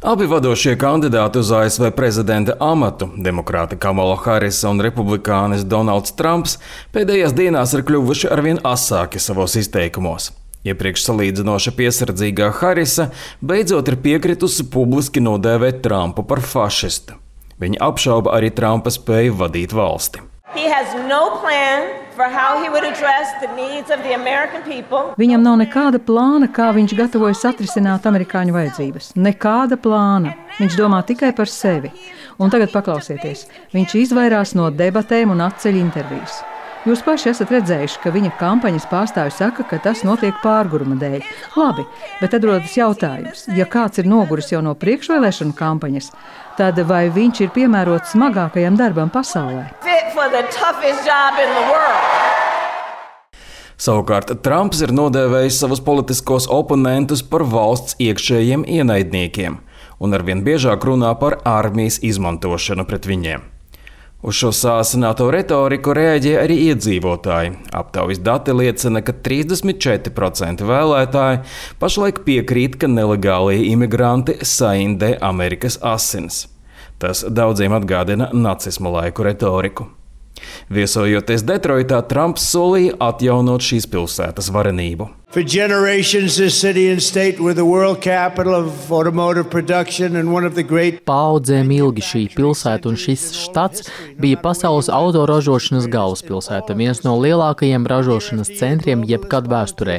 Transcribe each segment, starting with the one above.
Abi vadošie kandidāti uz ASV prezidenta amatu, demokrāte Kamala Harisa un republikānis Donalds Trumps, pēdējās dienās ir kļuvuši arvien asāki savos izteikumos. Iepriekš salīdzinoši piesardzīgā Harisa beidzot ir piekritusi publiski nodēvēt Trumpu par fašistu. Viņa apšauba arī Trumpa spēju vadīt valsti. Viņam nav nekāda plāna, kā viņš gatavojas atrisināt amerikāņu vajadzības. Nekāda plāna. Viņš domā tikai par sevi. Un tagad paklausieties. Viņš izvairās no debatēm un atceļ intervijas. Jūs paši esat redzējuši, ka viņa kampaņas pārstāvji saka, ka tas notiek pārguruma dēļ. Labi, bet tad rodas jautājums. Ja kāds ir noguris jau no priekšvēlēšanu kampaņas, tad vai viņš ir piemērots smagākajam darbam pasaulē? Savukārt Trumps ir nodēvējis savus politiskos oponentus par valsts iekšējiem ienaidniekiem un arvien biežāk runā par armijas izmantošanu pret viņiem. Uz šo sāsināto retoriku reaģē arī iedzīvotāji. Aptaujas dati liecina, ka 34% vēlētāji pašlaik piekrīt, ka nelegālie imigranti saindē Amerikas asinis. Tas daudziem atgādina nacisma laiku retoriku. Viesojoties Detroitā, Trumps solīja atjaunot šīs pilsētas varenību. For generations, this city and state were the world capital of automotive production and one of the great. Paudzēm ilgi šī pilsēta un šis štats bija pasaules autoražošanas galvaspilsēta, viens no lielākajiem ražošanas centriem jebkad vēsturē.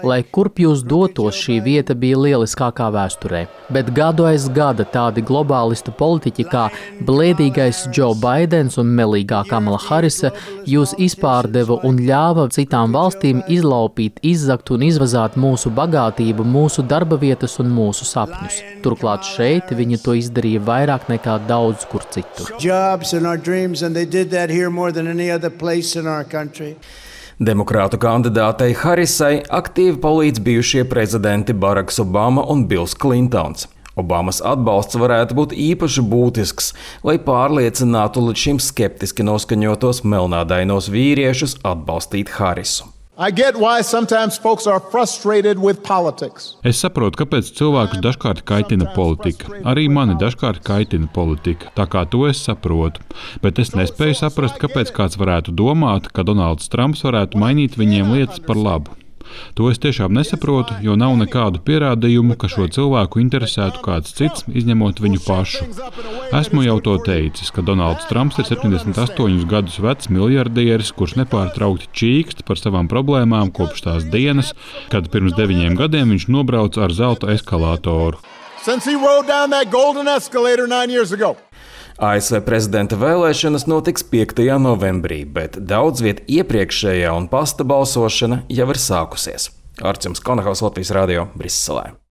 Lai kurp jūs dotos, šī vieta bija lieliskākā vēsturē. Bet gadu aiz gada tādi globālistu politiķi kā blēdīgais Joe Baidens un melīgā Kamala Harisa jūs izpārdeva un ļāva citām valstīm izlaupīt, izzakt un izvazāt mūsu bagātību, mūsu darba vietas un mūsu sapņus. Turklāt šeit viņi to izdarīja vairāk nekā daudz kur citur. Demokrātu kandidātei Harisai aktīvi palīdz bijušie prezidenti Baraks Obama un Bills Klintons. Obamas atbalsts varētu būt īpaši būtisks, lai pārliecinātu līdz šim skeptiski noskaņotos melnādainos vīriešus atbalstīt Harisu. Es saprotu, kāpēc cilvēkus dažkārt kaitina politika. Arī mani dažkārt kaitina politika, tā kā to es saprotu. Bet es nespēju saprast, kāpēc kāds varētu domāt, ka Donalds Trumps varētu mainīt viņiem lietas par labu. To es tiešām nesaprotu, jo nav nekādu pierādījumu, ka šo cilvēku interesētu kāds cits, izņemot viņu pašu. Esmu jau to teicis, ka Donalds Trumps ir 78 gadus vecs miljardieris, kurš nepārtraukti čīkst par savām problēmām kopš tās dienas, kad pirms 9 gadiem viņš nobrauca ar zelta eskalātoru. ASV prezidenta vēlēšanas notiks 5. novembrī, bet daudz viet iepriekšējā un pasta balsošana jau ir sākusies. Arčuns Konahaus, Latvijas radio, Briselē.